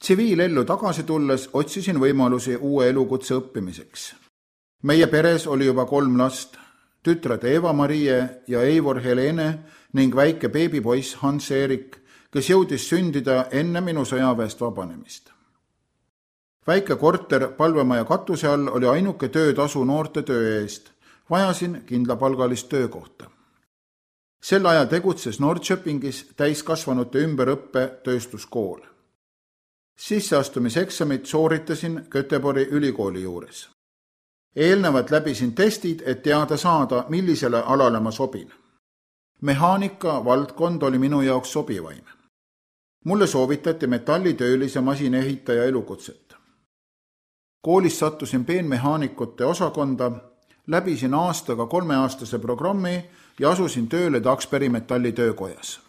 Tsiviilellu tagasi tulles otsisin võimalusi uue elukutse õppimiseks. Meie peres oli juba 3 last, tütred Eva-Marie ja Eivor Helene ning väike beebipoiss Hans-Erik, kes jõudis sündida enne minu sõjaväest vabanemist. Väike korter palvemaja katuse all oli ainuke töötasu noorte töö eest. Vajasin kindlapalgalist töökohta. Sel ajal tegutses Norrköpingis täiskasvanute ümberõppe tööstuskool. Sisseastumiseksamit sooritasin Göteborgi ülikooli juures. Eelnevalt läbisin testid, et teada saada, millisele alale ma sobin. Mehaanika valdkond oli minu jaoks sobivaim. Mulle soovitati metallitöölise masinehitaja elukutset. Koolis sattusin peenmehaanikute osakonda, läbisin aastaga 3-aastase programmi ja asusin tööle Taxperi metallitöökojas.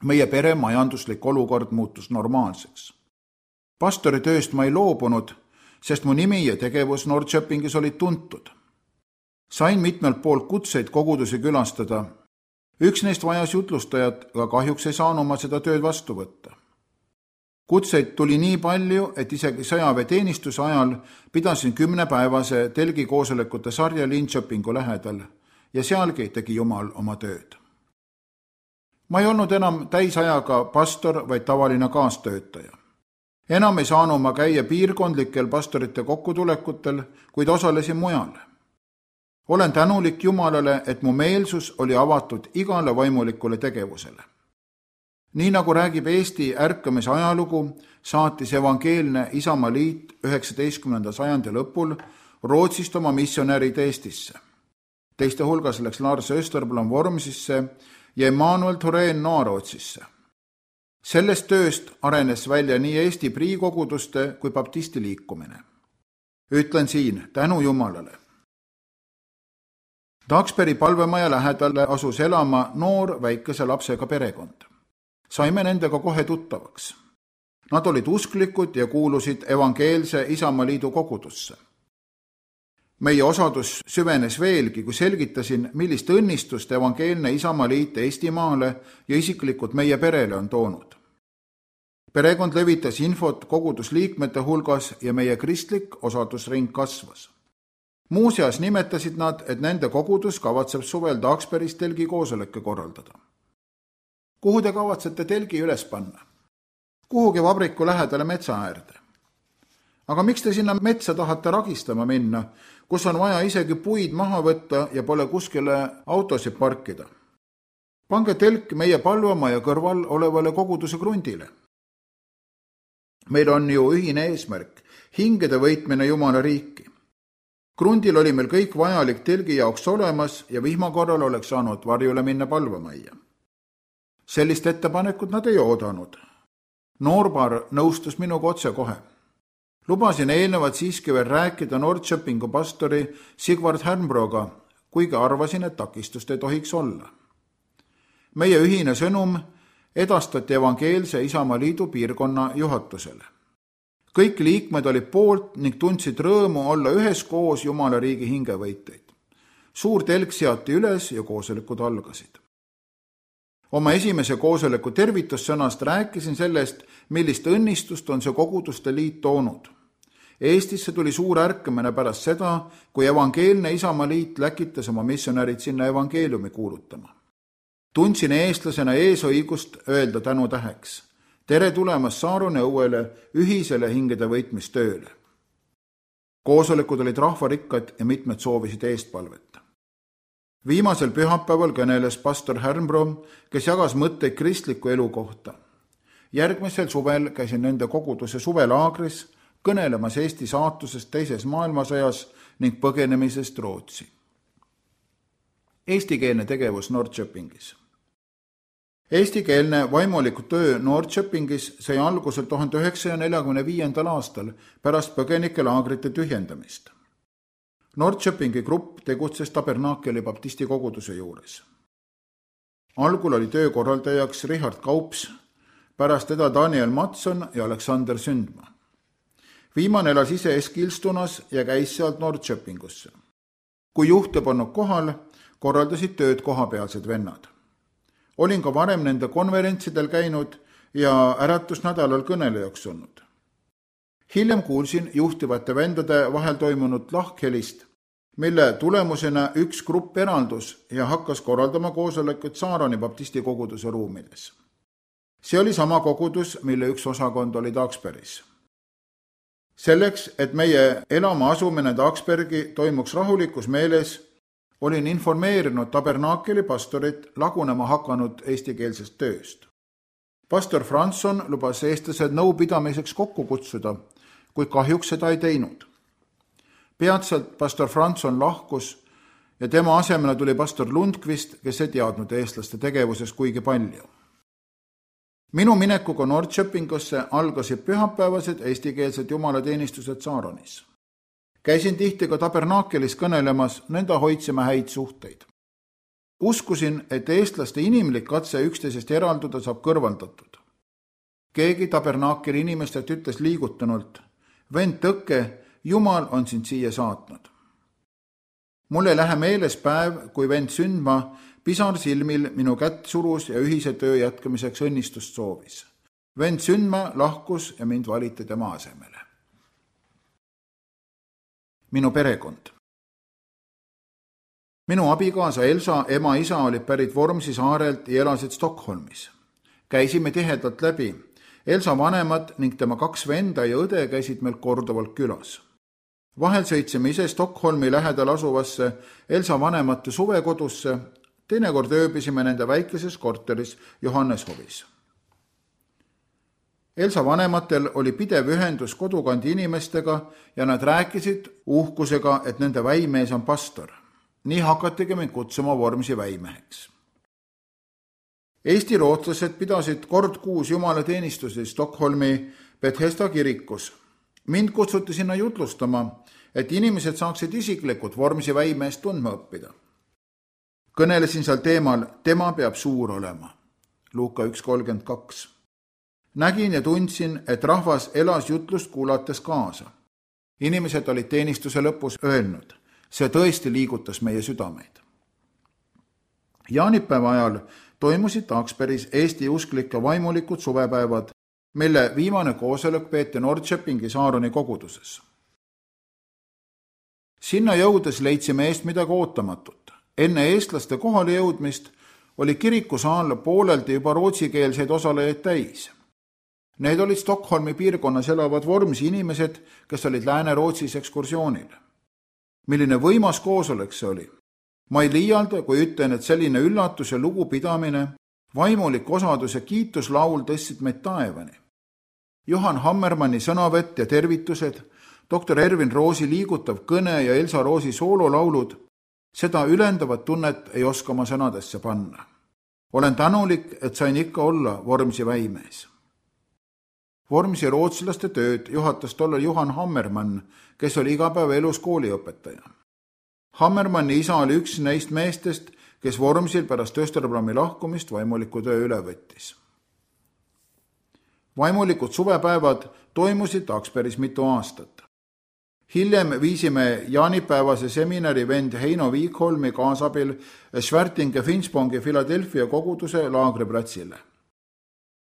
Meie pere majanduslik olukord muutus normaalseks. Pastori tööst ma ei loobunud, sest mu nimi ja tegevus Norrköpingis olid tuntud. Sain mitmelt poolt kutseid kogudusi külastada. Üks neist vajas jutlustajat, aga kahjuks ei saanud ma seda tööd vastu võtta. Kutseid tuli nii palju, et isegi sõjaväeteenistuse ajal pidasin 10-päevase telgikoosolekute sarja Linköpingu lähedal ja sealgi tegi Jumal oma tööd. Ma ei olnud enam täisajaga pastor, vaid tavaline kaastöötaja. Enam ei saanud ma käia piirkondlikel pastorite kokkutulekutel, kuid osalesin mujal. Olen tänulik Jumalale, et mu meelsus oli avatud igale vaimulikule tegevusele. Nii nagu räägib Eesti ärkamise ajalugu, saatis evangeelne Isamaaliit 19. sajandi lõpul Rootsist oma missionärid Eestisse. Teiste hulgas läks Lars Österblom Vormsisse ja Emanuel Thorén Noarootsisse. Sellest tööst arenes välja nii Eesti priikoguduste kui baptisti liikumine. Ütlen siin tänu Jumalale. Taxperi palvemaja lähedale asus elama noor väikese lapsega perekond. Saime nendega kohe tuttavaks. Nad olid usklikud ja kuulusid evangeelse Isamaaliidu kogudusse. Meie osadus süvenes veelgi, kui selgitasin, millist õnnistust evangeelne Isamaaliit Eestimaale ja isiklikult meie perele on toonud. Perekond levitas infot kogudusliikmete hulgas ja meie kristlik osadusring kasvas. Muuseas nimetasid nad, et nende kogudus kavatseb suvel Taxperis telgi koosolekke korraldada. Kuhu te kavatsete telgi üles panna? Kuhugi vabriku lähedale metsa äärde. Aga miks te sinna metsa tahate ragistama minna, kus on vaja isegi puid maha võtta ja pole kuskile autosid parkida? Pange telk meie palvemaja kõrval olevale koguduse krundile. Meil on ju ühine eesmärk, hingede võitmine Jumala riiki. Krundil oli meil kõik vajalik telgi jaoks olemas ja vihma korral oleks saanud varjule minna palvemaja. Sellist ettepanekut nad ei oodanud. Noorpaar nõustus minuga otse kohe. Lubasin eelnevat siiski veel rääkida Norrköpingu pastori Sigvard Härnbroga, kuigi arvasin, et takistust ei tohiks olla. Meie ühine sõnum edastati evangeelse Isamaaliidu piirkonna juhatusele. Kõik liikmed olid poolt ning tundsid rõõmu olla üheskoos Jumala riigi hingevõiteid. Suur telk seati üles ja koosolekud algasid. Oma esimese koosoleku tervitussõnast rääkisin sellest, millist õnnistust on see koguduste liit toonud. Eestisse tuli suur ärkamine pärast seda, kui evangeelne Isamaaliit läkitas oma missionärid sinna evangeeliumi kuulutama. Tundsin eestlasena eesõigust öelda tänu täheks. Tere tulemast Saarone õuele ühisele hingede võitmistööle. Koosolekud olid rahvarikkad ja mitmed soovisid eestpalveta. Viimasel pühapäeval kõneles pastor Härnbro, kes jagas mõtteid kristliku elu kohta. Järgmisel suvel käisin nende koguduse suvelaagris, kõnelemas Eesti saatusest teises maailmasõjas ning põgenemisest Rootsi. Eestikeelne tegevus Norrköpingis. Eestikeelne vaimuliku töö Norrköpingis sai algusel 1945. aastal pärast põgenikelaagrite tühjendamist. Norrköpingi grupp tegutses Tabernakeli baptisti koguduse juures. Algul oli töökorraldajaks Richard Kaups, pärast teda Daniel Matson ja Aleksander Sündma. Viimane elas ise Eskilstunas ja käis sealt Norrköpingusse. Kui juht ei pannud kohal, korraldasid tööd kohapealsed vennad. Olin ka varem nende konverentsidel käinud ja äratusnädalal kõnelejaks olnud. Hiljem kuulsin juhtivate vendade vahel toimunud lahkhelist, mille tulemusena üks grupp eraldus ja hakkas korraldama koosolekut Saaroni baptisti koguduse ruumides. See oli sama kogudus, mille üks osakond oli Taksbergis. Selleks, et meie elama asumine Taksbergi toimuks rahulikus meeles, olin informeerinud tabernaakeli pastorit lagunema hakanud eestikeelsest tööst. Pastor Franson lubas eestlased nõupidamiseks kokku kutsuda, kuid kahjuks seda ei teinud. Peatselt pastor Franson lahkus ja tema asemele tuli pastor Lundqvist, kes ei teadnud eestlaste tegevuses kuigi palju. Minu minekuga Norrköpingusse algasid pühapäevased eestikeelsed jumalateenistused Saaronis. Käisin tihti ka tabernaakelis kõnelemas, nõnda hoidsime häid suhteid. Uskusin, et eestlaste inimlik katse üksteisest eralduda saab kõrvaldatud. Keegi tabernaakeli inimestelt ütles liigutunult, vend Tõkke, Jumal on sind siia saatnud. Mul ei lähe meeles päev, kui vend Sündma pisar silmil minu kätt surus ja ühise töö jätkamiseks õnnistust soovis. Vend Sündma lahkus ja mind valiti tema asemele. Minu perekond. Minu abikaasa Elsa ema-isa olid pärit Vormsi saarelt ja elasid Stockholmis. Käisime tihedalt läbi. Elsa vanemad ning tema 2 venda ja õde käisid meil korduvalt külas. Vahel sõitsime ise Stockholmi lähedal asuvasse Elsa vanemate suvekodusse, teinekord ööbisime nende väikeses korteris Johanneshovis. Elsa vanematel oli pidev ühendus kodukandi inimestega ja nad rääkisid uhkusega, et nende väimees on pastor. Nii hakatigi mind kutsuma Vormsi väimeheks. Eesti rootslased pidasid kord kuus jumalateenistusi Stockholmi Bethesda kirikus. Mind kutsuti sinna jutlustama, et inimesed saaksid isiklikult Vormsi väimeest tundma õppida. Kõnelesin seal teemal, tema peab suur olema. Luuka 1.32. Nägin ja tundsin, et rahvas elas jutlust kuulates kaasa. Inimesed olid teenistuse lõpus öelnud, see tõesti liigutas meie südameid. Jaanipäeva ajal toimusid Taksbergis Eesti usklike vaimulikud suvepäevad, mille viimane koosolek peeti Norrköpingi Saaroni koguduses. Sinna jõudes leidsime eest midagi ootamatut. Enne eestlaste kohale jõudmist oli kirikusaal pooleldi juba rootsikeelseid osalejaid täis. Need olid Stockholmi piirkonnas elavad Vormsi inimesed, kes olid Lääne-Rootsis ekskursioonil. Milline võimas koosolek see oli? Ma ei liialda, kui ütlen, et selline üllatus ja lugupidamine, vaimulik osadus ja kiituslaul tõstsid meid taevani. Johan Hammermanni sõnavett ja tervitused, doktor Ervin Roosi liigutav kõne ja Elsa Roosi soololaulud, seda ülendavat tunnet ei oska ma sõnadesse panna. Olen tänulik, et sain ikka olla Vormsi väimees. Vormsi rootslaste tööd juhatas tollal Johan Hammermann, kes oli iga päev elus kooliõpetaja. Hammermanni isa oli üks neist meestest, kes Vormsil pärast Österblami lahkumist vaimuliku töö üle võttis. Vaimulikud suvepäevad toimusid Taksbergis mitu aastat. Hiljem viisime jaanipäevase seminari vend Heino Viikholmi kaasabil Schwertinge Finspångi Philadelphia koguduse laagriplatsile.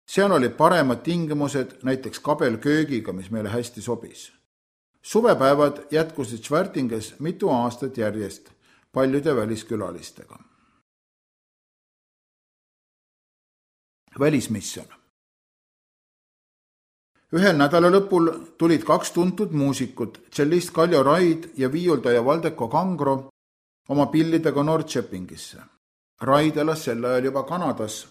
Seal olid paremad tingimused, näiteks kabelköögiga, mis meile hästi sobis. Suvepäevad jätkusid Schwertinges mitu aastat järjest paljude väliskülalistega. Välismisjon. Ühel nädalalõpul tulid 2 tuntud muusikut, tšellist Kaljo Raid ja viiuldaja Valdeko Kangro oma pillidega Norrköpingisse. Raid elas sel ajal juba Kanadas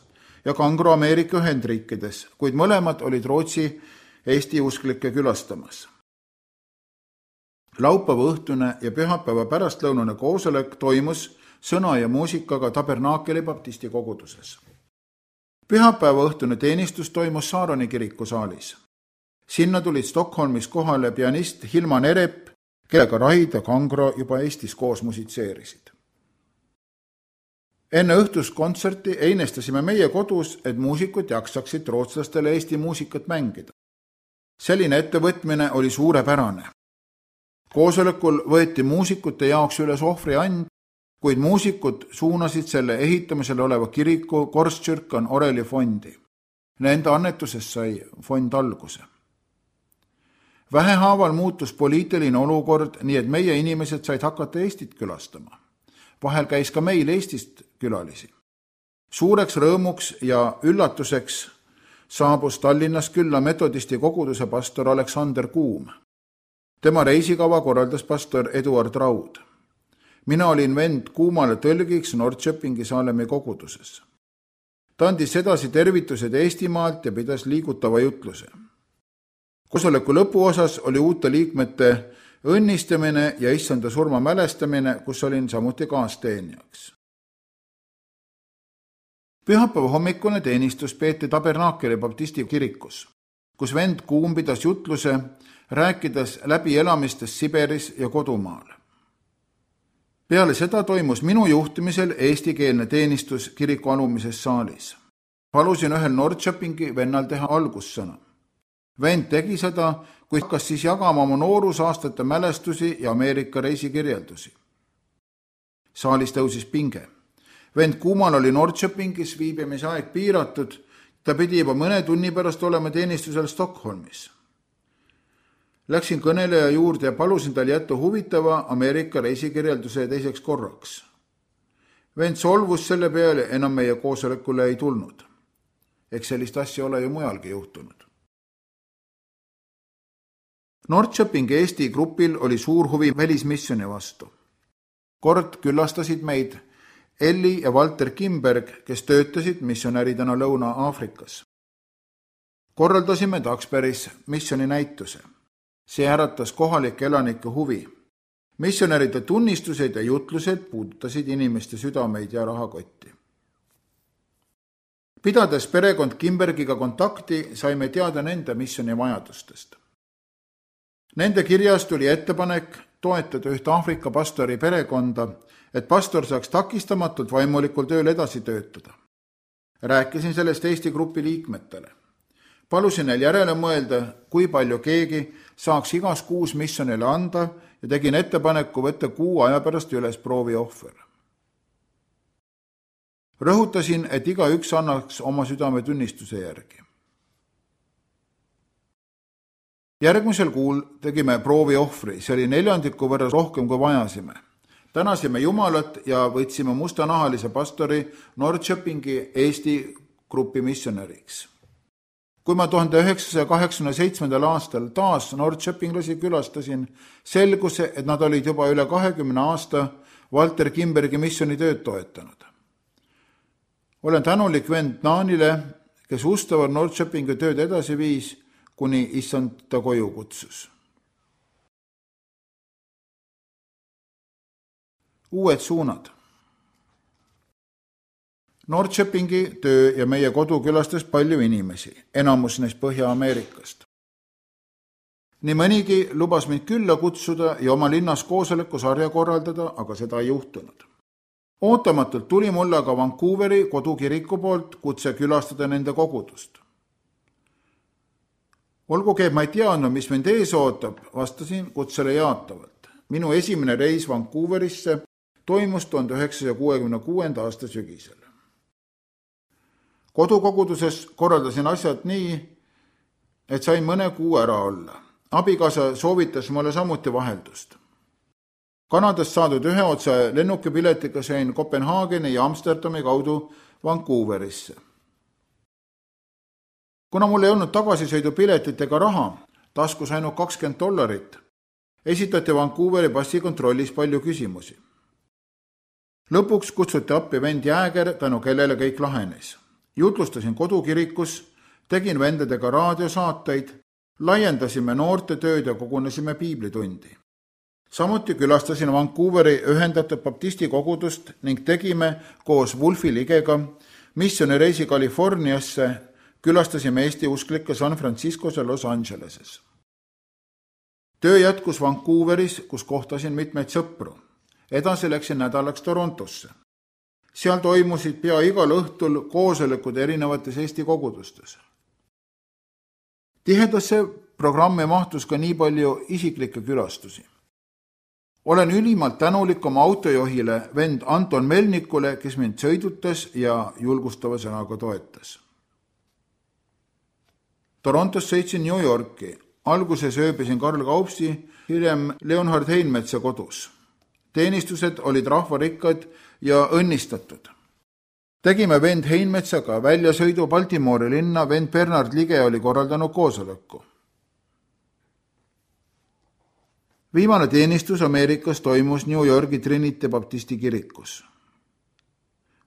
ja Kangro Ameerika Ühendriikides, kuid mõlemad olid Rootsi Eesti usklikke külastamas. Laupäeva õhtune ja pühapäeva pärastlõunane koosolek toimus sõna ja muusikaga Tabernaakeli baptisti koguduses. Pühapäeva õhtune teenistus toimus Saaroni kirikusaalis. Sinna tulid Stockholmis kohale pianist Hilman Erep, kellega Raid ja Kangro juba Eestis koos musitseerisid. Enne õhtust kontserti einestasime meie kodus, et muusikud jaksaksid rootslastele Eesti muusikat mängida. Selline ettevõtmine oli suurepärane. Koosolekul võeti muusikute jaoks üles ohvriand, kuid muusikud suunasid selle ehitamisel oleva kiriku Korskyrkan Oreli fondi. Nende annetusest sai fond alguse. Vähehaaval muutus poliitiline olukord, nii et meie inimesed said hakata Eestit külastama. Vahel käis ka meil Eestist külalisi. Suureks rõõmuks ja üllatuseks saabus Tallinnas külla metodisti koguduse pastor Aleksander Kuum. Tema reisikava korraldas pastor Eduard Raud. Mina olin vend Kuumale tõlgiks Norrköpingi Saalemi koguduses. Ta andis edasi tervitused Eestimaalt ja pidas liigutava jutluse. Koosoleku lõpuosas oli uute liikmete õnnistamine ja issanda surma mälestamine, kus olin samuti kaasteenijaks. Pühapäeva hommikune teenistus peeti Tabernakeli baptisti kirikus, kus vend Kuum pidas jutluse, rääkides läbi elamistest Siberis ja kodumaal. Peale seda toimus minu juhtimisel eestikeelne teenistus kiriku alumises saalis. Palusin ühel Norrköpingi vennal teha algussõna. Vend tegi seda, kui hakkas siis jagama oma noorusaastate mälestusi ja Ameerika reisikirjeldusi. Saalis tõusis pinge. Vend Kuumal oli Norrköpingis viibimise aeg piiratud, ta pidi juba mõne tunni pärast olema teenistusel Stockholmis. Läksin kõneleja juurde ja palusin tal jätta huvitava Ameerika reisikirjelduse teiseks korraks. Vend solvus selle peale, enam meie koosolekule ei tulnud. Eks sellist asja ole ju mujalgi juhtunud. Norrköpingi Eesti grupil oli suur huvi välismissioni vastu. Kord külastasid meid Elli ja Walter Kimberg, kes töötasid missionäridena Lõuna-Aafrikas. Korraldasime Taksbergis missioni näituse. See äratas kohalike elanike huvi. Missionäride tunnistused ja jutlused puudutasid inimeste südameid ja rahakotti. Pidades perekond Kimbergiga kontakti, saime teada nende missioni vajadustest. Nende kirjas tuli ettepanek toetada üht Aafrika pastori perekonda, et pastor saaks takistamatult vaimulikul tööl edasi töötada. Rääkisin sellest Eesti grupi liikmetele. Palusin neil järele mõelda, kui palju keegi saaks igas kuus missionile anda ja tegin ettepaneku võtta 6 aja pärast üles prooviohver. Rõhutasin, et igaüks annaks oma südametunnistuse järgi. Järgmisel kuul tegime prooviohvri, see oli 4 võrra rohkem kui vajasime. Tänasime Jumalat ja võtsime mustanahalise pastori Norrköpingi Eesti grupi missionäriks. Kui ma 1987. aastal taas Norrköpinglasi külastasin, selgus, et nad olid juba üle 20 aasta Walter Kimbergi missionitööd toetanud. Olen tänulik vend Naanile, kes ustavalt Norrköpingi tööd edasi viis, kuni issand ta koju kutsus. Uued suunad. Norrköpingi töö ja meie kodu külastas palju inimesi, enamus neist Põhja-Ameerikast. Nii mõnigi lubas mind külla kutsuda ja oma linnas koosolekusarja korraldada, aga seda ei juhtunud. Ootamatult tuli mulle aga Vancouveri kodukiriku poolt kutse külastada nende kogudust. Olgugi, et ma ei teadnud, mis mind ees ootab, vastasin kutsele jaatavalt. Minu esimene reis Vancouverisse toimus 1966. aasta sügisel. Kodukoguduses korraldasin asjad nii, et sain mõne kuu ära olla. Abikaasa soovitas mulle samuti vaheldust. Kanadast saadud 1 otse lennukipiletiga sain Kopenhaageni ja Amsterdami kaudu Vancouverisse. Kuna mul ei olnud tagasisõidupiletit ega raha, taskus ainult $20, esitati Vancouveri passikontrollis palju küsimusi. Lõpuks kutsuti appi vend Jääger, tänu kellele kõik lahenes. Jutlustasin kodukirikus, tegin vendadega raadiosaateid, laiendasime noorte tööd ja kogunesime piiblitundi. Samuti külastasin Vancouveri ühendatud baptisti kogudust ning tegime koos Wolfi Ligega missionireisi Californiasse, külastasime Eesti usklikke San Franciscos ja Los Angeleses. Töö jätkus Vancouveris, kus kohtasin mitmeid sõpru. Edasi läksin nädalaks Torontosse. Seal toimusid pea igal õhtul koosolekud erinevates Eesti kogudustes. Tihedasse programmi mahtus ka nii palju isiklikke külastusi. Olen ülimalt tänulik oma autojuhile vend Anton Melnikule, kes mind sõidutas ja julgustava sõnaga toetas. Torontost sõitsin New Yorki. Alguses ööbisin Karl Kaupsi, hiljem Leonhard Heinmetsa kodus. Teenistused olid rahvarikkad ja õnnistatud. Tegime vend Heinmetsaga väljasõidu Baltimore linna, vend Bernard Lige oli korraldanud koosoleku. Viimane teenistus Ameerikas toimus New Yorgi Trinity Baptisti kirikus.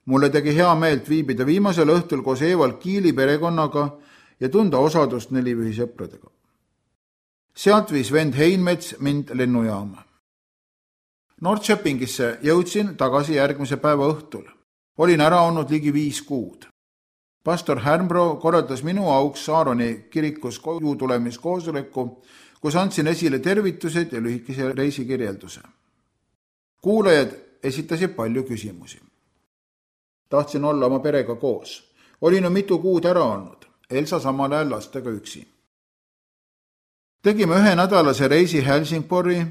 Mulle tegi hea meelt viibida viimasel õhtul koos Evald Kiili perekonnaga ja tunda osadust nelipühisõpradega. Sealt viis vend Heinmets mind lennujaama. Norrköpingisse jõudsin tagasi järgmise päeva õhtul. Olin ära olnud ligi 5 kuud. Pastor Härmbro korraldas minu auks Saaroni kirikus koju tulemiskoosoleku, kus andsin esile tervitused ja lühikese reisikirjelduse. Kuulajad esitasid palju küsimusi. Tahtsin olla oma perega koos. Olin mitu kuud ära olnud, Elsa samal ajal lastega üksi. Tegime 1 nädalase reisi Helsingborgi,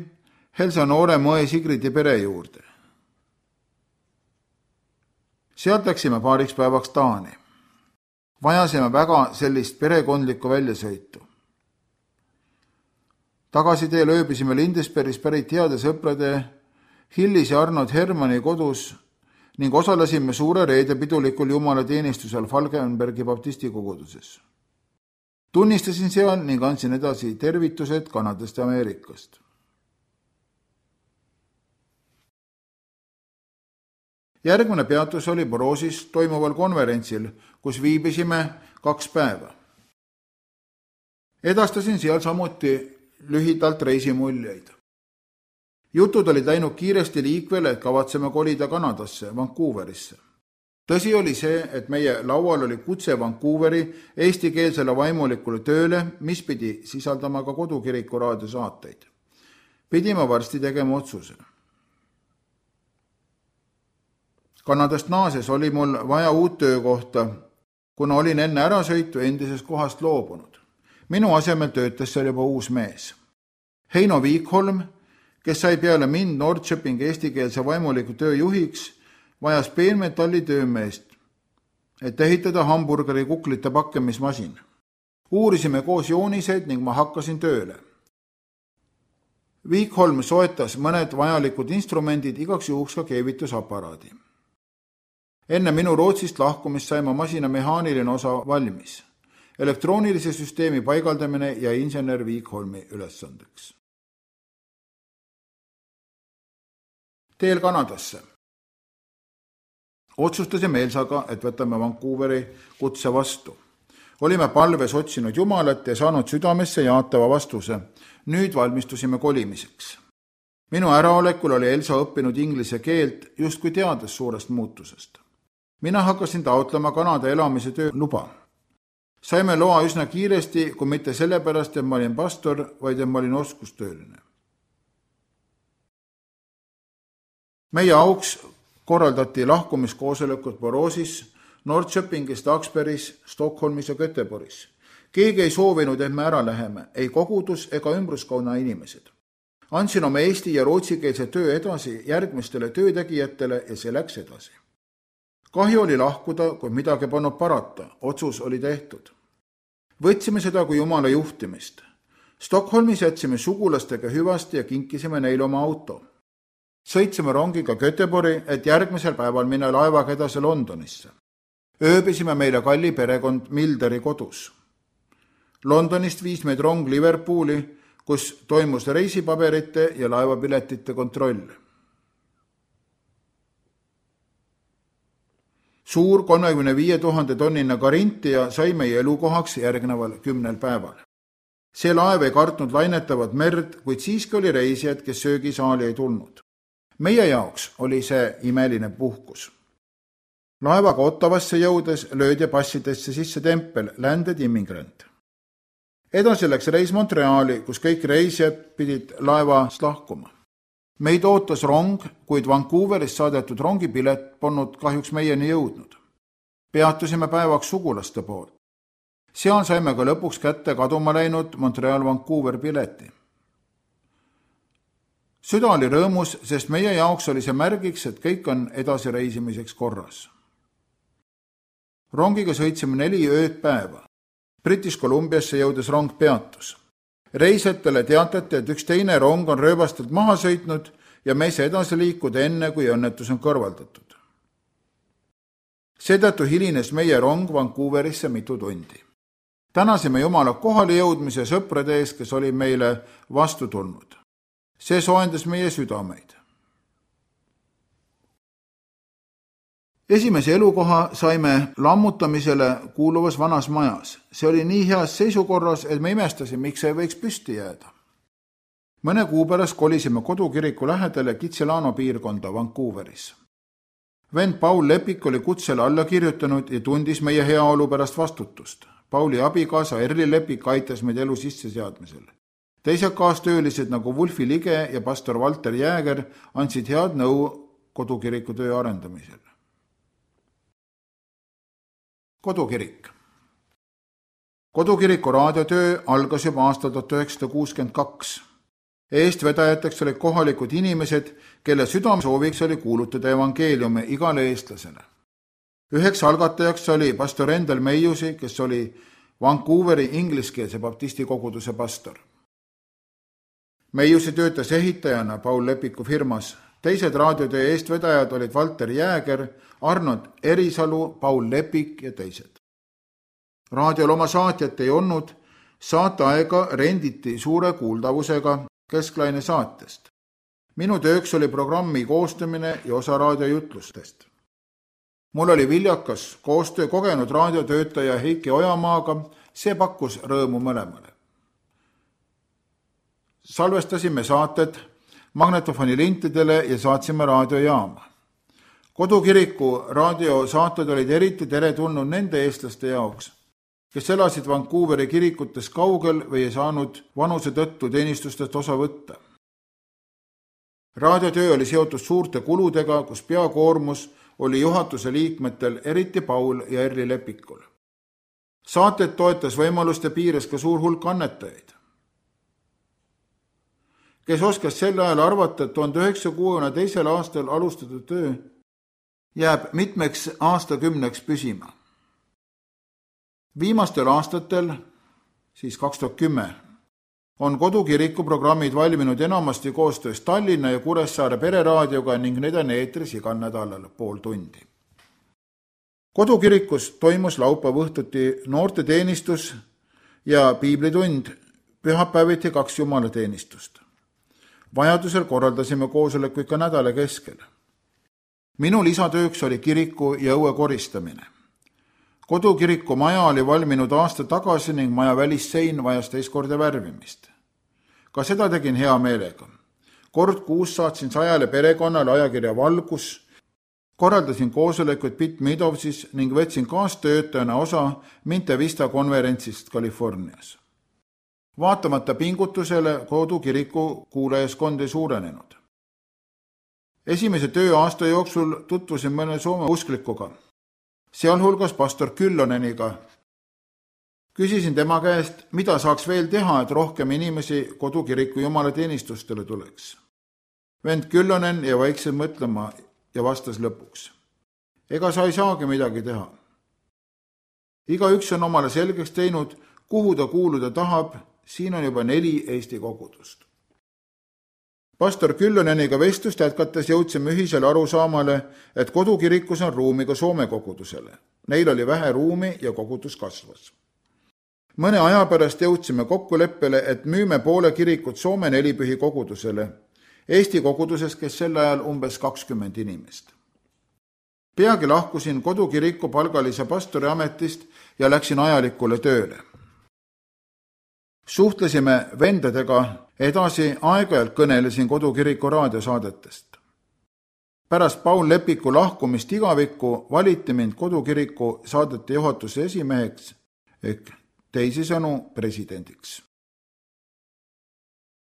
Elsa noore mõe Sigridi pere juurde. Sealt läksime paariks päevaks Taani. Vajasime väga sellist perekondlikku väljasõitu. Tagasiteel ööbisime Lindesbergis pärit heade sõprade Hillis ja Arnold Hermanni kodus ning osalesime suure reede pidulikul jumalateenistusel Falkenbergi baptisti koguduses. Tunnistasin seal ning andsin edasi tervitused Kanadast ja Ameerikast. Järgmine peatus oli Boroosis toimuval konverentsil, kus viibisime 2 päeva. Edastasin seal samuti lühidalt reisimuljeid. Jutud olid läinud kiiresti liikvele, et kavatseme kolida Kanadasse, Vancouverisse. Tõsi oli see, et meie laual oli kutse Vancouveri eestikeelsele vaimulikule tööle, mis pidi sisaldama ka kodukiriku raadiosaateid. Pidime varsti tegema otsuse. Kanadast naases oli mul vaja uut töökohta, kuna olin enne ärasõitu endisest kohast loobunud. Minu asemel töötas seal juba uus mees. Heino Viikholm, kes sai peale mind Norrköpingi eestikeelse vaimuliku töö juhiks, vajas peenmetalli töömeest, et ehitada hamburgeri kuklite pakkemismasin. Uurisime koos jooniseid ning ma hakkasin tööle. Viikholm soetas mõned vajalikud instrumendid, igaks juhuks ka keevitusaparaadi. Enne minu Rootsist lahkumist sai ma masina mehaaniline osa valmis. Elektroonilise süsteemi paigaldamine ja insener Viikholmi ülesandeks. Teel Kanadasse. Otsustasime Elsaga, et võtame Vancouveri kutse vastu. Olime palves otsinud Jumalat ja saanud südamesse jaatava vastuse. Nüüd valmistusime kolimiseks. Minu äraolekul oli Elsa õppinud inglise keelt, justkui teades suurest muutusest. Mina hakkasin taotlema Kanada elamise töö luba. Saime loa üsna kiiresti, kui mitte sellepärast, et ma olin pastor, vaid et ma olin oskustööline. Meie auks korraldati lahkumiskoosolekud Boroosis, Norrköpingis, Taksbergis, Stockholmis ja Göteborgis. Keegi ei soovinud, et me ära läheme, ei kogudus ega ümbruskonna inimesed. Andsin oma eesti- ja rootsikeelse töö edasi järgmistele töötegijatele ja see läks edasi. Kahju oli lahkuda, kui midagi pannud parata, otsus oli tehtud. Võtsime seda kui Jumala juhtimist. Stockholmis jätsime sugulastega hüvasti ja kinkisime neile oma auto. Sõitsime rongiga Göteborgi, et järgmisel päeval minna laevaga edasi Londonisse. Ööbisime meile kalli perekond Milderi kodus. Londonist viis meid rong Liverpooli, kus toimus reisipaberite ja laevapiletite kontroll. Suur 35 000 tonnine Carinthia sai meie elukohaks järgneval 10 päeval. See laev ei kartnud lainetavat merd, kuid siiski oli reisijad, kes söögisaali ei tulnud. Meie jaoks oli see imeline puhkus. Laevaga Ottavasse jõudes löödi passidesse sisse tempel Landed Immigrant. Edasi läks reis Montreali, kus kõik reisijad pidid laevast lahkuma. Meid ootas rong, kuid Vancouverist saadetud rongipilet polnud kahjuks meieni jõudnud. Peatusime päevaks sugulaste poolt. Seal saime ka lõpuks kätte kaduma läinud Montreal-Vancouver pileti. Süda oli rõõmus, sest meie jaoks oli see märgiks, et kõik on edasi reisimiseks korras. Rongiga sõitsime 4 ööd päeva. British Columbiasse jõudes rong peatus. Reisijatele teatati, et üks teine rong on rööbastelt maha sõitnud ja me ei saa edasi liikuda enne, kui õnnetus on kõrvaldatud. Seetõttu hilines meie rong Vancouverisse mitu tundi. Tänasime Jumala kohale jõudmise sõprade ees, kes oli meile vastu tulnud. See soojendas meie südameid. Esimese elukoha saime lammutamisele kuuluvas vanas majas. See oli nii heas seisukorras, et me imestasime, miks ei võiks püsti jääda. Mõne kuu pärast kolisime kodukiriku lähedale Kitsilano piirkonda Vancouveris. Vend Paul Lepik oli kutsele alla kirjutanud ja tundis meie heaolu pärast vastutust. Pauli abikaasa Erli Lepik aitas meid elu sisseseadmisel. Teised kaastöölised nagu Wolfi Lige ja pastor Walter Jääger andsid head nõu kodukiriku töö arendamisel. Kodukirik. Kodukiriku raadiotöö algas juba aastal 1962. Eestvedajateks olid kohalikud inimesed, kelle südamesooviks oli kuulutada evangeeliumi igale eestlasele. Üheks algatajaks oli pastor Endel Meiusi, kes oli Vancouveri ingliskeelse baptisti koguduse pastor. Meiusi töötas ehitajana Paul Lepiku firmas. Teised raadiotöö eestvedajad olid Walter Jääger, Arnold Erisalu, Paul Lepik ja teised. Raadiol oma saatjat ei olnud, saateaega renditi suure kuuldavusega Kesklaine saatest. Minu tööks oli programmi koostamine ja osa raadiojutlustest. Mul oli viljakas koostöö kogenud raadiotöötaja Heiki Ojamaaga, see pakkus rõõmu mõlemale. Salvestasime saated magnetofonilintidele ja saatsime raadiojaama. Kodukiriku raadiosaated olid eriti teretulnud nende eestlaste jaoks, kes elasid Vancouveri kirikutes kaugel või ei saanud vanuse tõttu teenistustest osa võtta. Raadiotöö oli seotud suurte kuludega, kus peakoormus oli juhatuse liikmetel, eriti Paul ja Erli Lepikul. Saated toetas võimaluste piires ka suur hulk annetajaid. Kes oskas sel ajal arvata, et 1962. aastal alustatud töö jääb mitmeks aastakümneks püsima. Viimastel aastatel, siis 2010, on kodukiriku programmid valminud enamasti koostöös Tallinna ja Kuressaare pereraadioga ning need on eetris igal nädalal pool tundi. Kodukirikus toimus laupäeva õhtuti noorteteenistus ja piiblitund, pühapäeviti 2 jumalateenistust. Vajadusel korraldasime koosolekuid ka nädala keskel. Minu lisatööks oli kiriku ja õue koristamine. Kodukiriku maja oli valminud aasta tagasi ning maja välissein vajas teist korda värvimist. Ka seda tegin hea meelega. Kord kuus saatsin 100 perekonnale ajakirja Valgus, korraldasin koosolekuid Pitt Midovsis ning võtsin kaastöötajana osa Minte Vista konverentsist Californias. Vaatamata pingutusele kodukiriku kuulajaskond ei suurenenud. Esimese tööaasta jooksul tutvusin mõne Soome usklikuga, sealhulgas pastor Kyllöneniga. Küsisin tema käest, mida saaks veel teha, et rohkem inimesi kodukiriku jumalateenistustele tuleks. Vend Kyllönen ja vaikselt mõtlema ja vastas lõpuks. Ega sa ei saagi midagi teha. Igaüks on omale selgeks teinud, kuhu ta kuuluda tahab, siin on juba 4 Eesti kogudust. Pastor Kyllöneniga vestlust jätkates jõudsime ühisele arusaamale, et kodukirikus on ruumi ka Soome kogudusele. Neil oli vähe ruumi ja kogudus kasvas. Mõne aja pärast jõudsime kokkuleppele, et müüme poole kirikut Soome 4 pühi kogudusele. Eesti koguduses, kes sel ajal umbes 20 inimest. Peagi lahkusin kodukiriku palgalise pastori ametist ja läksin ajalikule tööle. Suhtlesime vendadega edasi, aeg-ajalt kõnelesin kodukiriku raadiosaadetest. Pärast Paul Lepiku lahkumist igavikku valiti mind kodukiriku saadete juhatuse esimeheks ehk teisisõnu presidendiks.